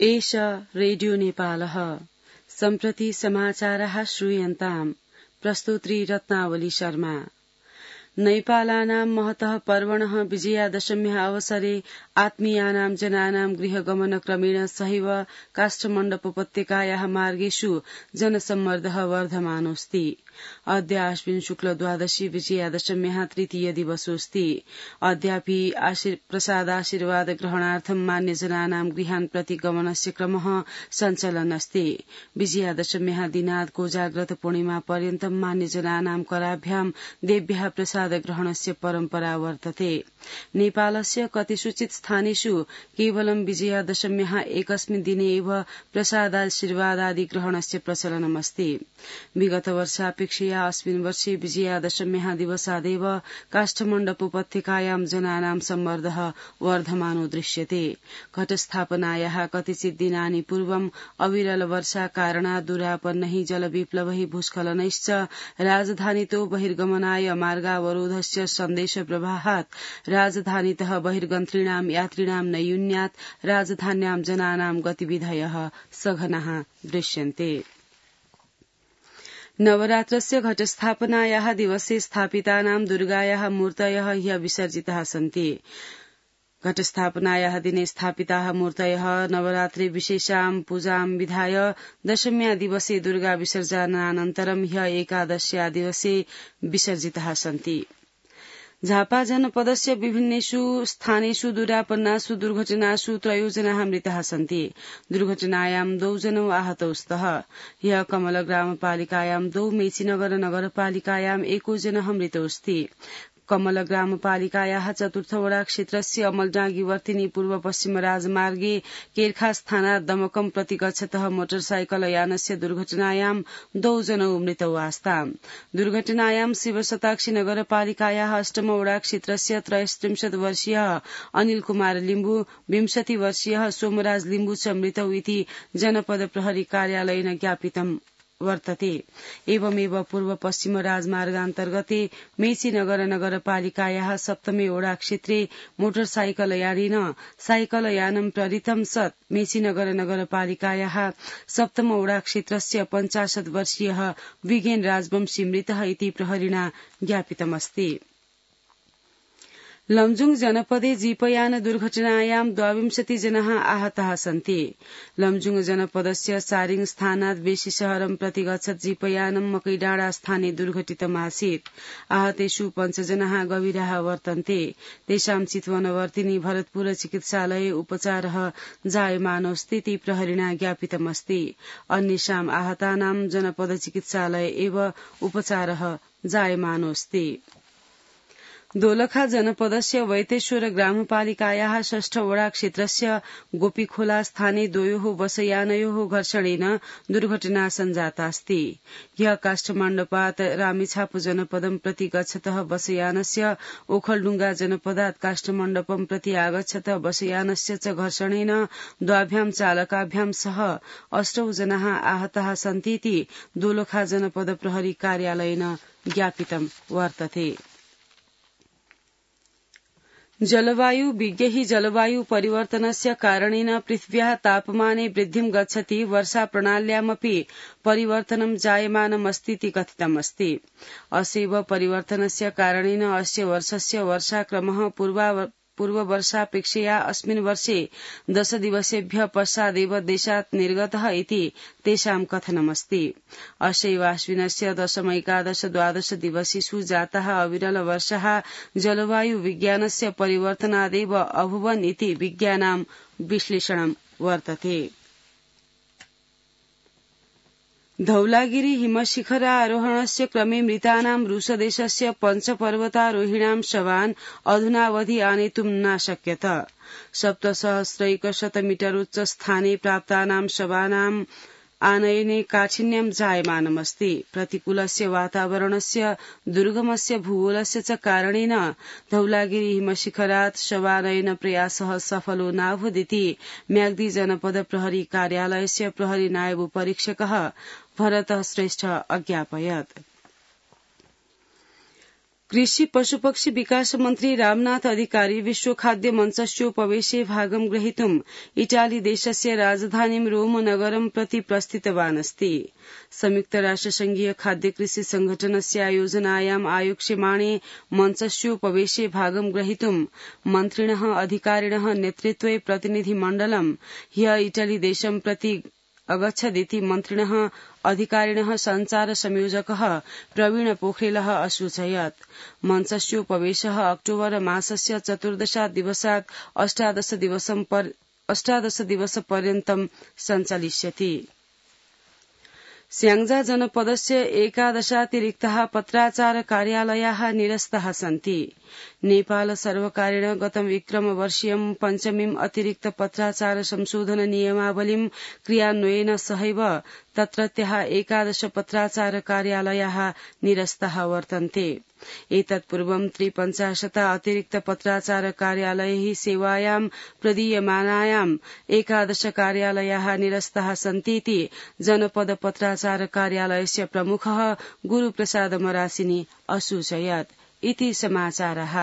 एष रेडियो नेपालः सम्प्रति समाचारः श्रूयन्ताम् प्रस्तुत्री रत्नावली शर्मा। नैपालानां महतः पर्वणः विजयादशम्याः अवसरे आत्मीयानां जनानां गृहगमनक्रमेण सहैव काष्ठमण्डपोपत्यकायाः मार्गेषु जनसम्मर्दः वर्धमानोऽस्ति। अद्य आश्विन शुक्ल द्वादशी विजयादशम्याः तृतीय दिवसोऽस्ति। अद्यापि प्रसादाशीर्वाद ग्रहणार्थं मान्यजनानां गृहान् प्रति गमनस्य क्रमः सञ्चलन् अस्ति। विजयादशम्याः दिनात् कोजाग्रत पूर्णिमा पर्यन्तं मान्यजनानां कराभ्यां देव्याः प्रसाद ग्रहणस्य परम्परा वर्तते। नेपालस्य कतिषुचित् स्थानेषु केवलं विजयादशम्याः एकस्मिन् दिने एव प्रसादाशीर्वादादि ग्रहणस्य प्रचलनमस्ति। विगत वर्षापेक्षया अस्मिन् वर्षे विजयादशम्याः दिवसादेव काष्ठमण्डपोपत्यकायां जनानां सम्मर्दः वर्धमानो दृश्यते। घटस्थापनायाः कतिचित् दिनानि पूर्वम् अविरल वर्षा कारणात् दुरापन्नैः जलविप्लवैः भूस्खलनैश्च राजधानीतो बहिर्गमनाय मार्गावरोधस्य सन्देश प्रवाहात् राजधानीतः बहिर्गन्तॄणां यात्रिणां नैयून्यात् राजधान्यां जनानां गतिविधयः सघनाः दृश्यन्ते। नवरात्रस्य घटस्थापनायाः दिवसे स्थापितानां दुर्गायाः मूर्तयः ह्यः विसर्जिताः सन्ति। घटस्थापनायाः दिने स्थापिताः मूर्तयः नवरात्रे विशेषां पूजां विधाय दशम्या दिवसे दुर्गा विसर्जनानन्तरं ह्यः एकादश्या दिवसे विसर्जिताः सन्ति। झापा जनपदस्य विभिन्नेषु स्थानेषु दुरापन्नासु दुर्घटनासु 3 जनाः मृताः सन्ति। दुर्घटनायां 2 जनौ आहतौ स्तः। ह्यः कमलग्रामपालिकायां 2, मेचीनगर नगरपालिकायां 1 जनः मृतोऽस्ति। कमल ग्रामपालिकायाः 4th वडा क्षेत्रस्य अमलडाँगीवर्तिनी पूर्व पश्चिम राजमार्गे केरखास थाना दमकम प्रति गच्छतः मोटरसाइकल यानस्य दुर्घटनायां 2 जनौ मृतौ आस्ताम्। दुर्घटनायां शिवशताक्षी नगरपालिकायाः 8म वडा क्षेत्रस्य 33 वर्षीयः अनिल कुमार लिम्बू, 20 वर्षीयः सोमराज लिम्बू च मृतौ इति जनपद प्रहरी कार्यालयेन ज्ञापितम् वर्तते। एवमेव पूर्व पश्चिम राजमार्गान्तर्गते मेची नगरपालिकायाः 7मे वडा क्षेत्रे मोटरसाइकल यानेन साइकल यानं प्रहृतं सत् मेची नगरपालिकायाः 7म वडा क्षेत्रस्य 50 वर्षीयः विगेन राजवंशी मृतः इति प्रहरिणा ज्ञापितमस्ति। लमजुङ जनपदे जीपयान दुर्घटनायां 22 जनाः आहताः सन्ति। लमजुङ जनपदस्य सारिङ स्थानात् बेसी शहरं प्रति गच्छत् जीपयानं मकैडाँडा स्थाने दुर्घटितमासीत्। आहतेषु 5 जनाः गभीराः वर्तन्ते। तेषां चितवनवर्तिनी भरतपुर चिकित्सालये उपचारः जायमानोऽस्ति इति प्रहरिणा ज्ञापितमस्ति। अन्येषां आहतानां जनपद चिकित्सालये एव उपचारः जायमानोऽस्ति। दोलखा जनपदस्य वैतेश्वर ग्रामपालिकायाः 6ठ वडा क्षेत्रस्य गोपीखोला स्थाने 2 बसयानयोः घर्षणेन दुर्घटना सञ्जातास्ति। ह्यः काष्ठमण्डपात् रामेछाप जनपदं प्रति गच्छतः बसयानस्य ओखलडुङ्गा जनपदात् काष्ठमण्डपं प्रति आगच्छतः बसयानस्य च घर्षणेन द्वाभ्यां चालकाभ्यां सह 8 जनाः आहताः सन्ति इति दोलखा जनपद प्रहरी कार्यालयेन ज्ञापितं वर्तते। जलवायु विज्ञैः जलवायु परिवर्तनस्य कारणेन पृथिव्याः तापमाने वृद्धिं गच्छति वर्षा प्रणाल्यामपि परिवर्तनं जायमानमस्ति इति कथितमस्ति। अस्यैव परिवर्तनस्य कारणेन अस्य वर्षस्य वर्षाक्रमः पूर्ववर्षापेक्षया अस्मिन् वर्षे 10 दिवसेभ्यः पश्चादेव देशात् निर्गतः इति तेषां कथनमस्ति। अस्यैव आश्विनस्य 10, 11, 12 दिवसेषु जातः अविरल वर्षः जलवायु विज्ञानस्य परिवर्तनादेव अभूवन् इति विज्ञानां विश्लेषणं वर्तते। धौलागिरी हिमशिखरारोहणस्य क्रमे मृतानां रूसदेशस्य 5 पर्वतारोहिणां शवान् अधुनावधि आनेतुं न शक्यत। 7,100 मीटर उच्च स्थाने प्राप्तानां शवानां आनयने काठिन्यं जायमानमस्ति। प्रतिकूलस्य वातावरणस्य दुर्गमस्य भूगोलस्य च कारणेन धौलागिरी हिमशिखरात् शवानयन प्रयासः सफलो नाभूदिति म्याग्दी जनपद प्रहरी कार्यालयस्य प्रहरी नायब परीक्षकः भरत श्रेष्ठ अज्ञापयत्। कृषि पशुपक्षी विकास मन्त्री रामनाथ अधिकारी विश्व खाद्य मञ्चस्योपवेशे भागं ग्रहीतुम् इटालीदेशस्य राजधानीं रोम नगरं प्रति प्रस्थितवान् अस्ति। संयुक्तराष्ट्रसंघीय खाद्य कृषि संघटनस्य आयोजनायाम् आयोक्ष्यमाणे मञ्चस्योपवेशे भागं ग्रहीतुम् मन्त्रिणः अधिकारिणः नेतृत्वे प्रतिनिधिमण्डलं ह्य इटलीदेशं प्रति अगच्छदिति मन्त्रिणः अधिकारिणः सञ्चार संयोजकः प्रवीण पोखरेलः असूचयत्। मञ्चस्योपवेशः अक्टोबर मासस्य 14 दिवसात् 18 दिवसपर्यन्तं सञ्चालिष्यति। स्याङ्जा जनपदस्य 11 पत्राचार कार्यालयाः निरस्ताः सन्ति। नेपाल सर्वकारेण गतं विक्रमवर्षीयं पञ्चमीम् अतिरिक्त पत्राचार संशोधन नियमावलीं क्रियान्वयेन सहैव तत्रत्याः 11 पत्राचार कार्यालयाः निरस्ताः वर्तन्ते। एतत् पूर्वं 53 अतिरिक्त पत्राचार कार्यालयैः सेवायां प्रदीयमानायाम् 11 कार्यालयाः निरस्ताः सन्तीति जनपद पत्राचार कार्यालयस्य प्रमुखः गुरुप्रसाद मरासिनी असूचयत्। इति समाचारः।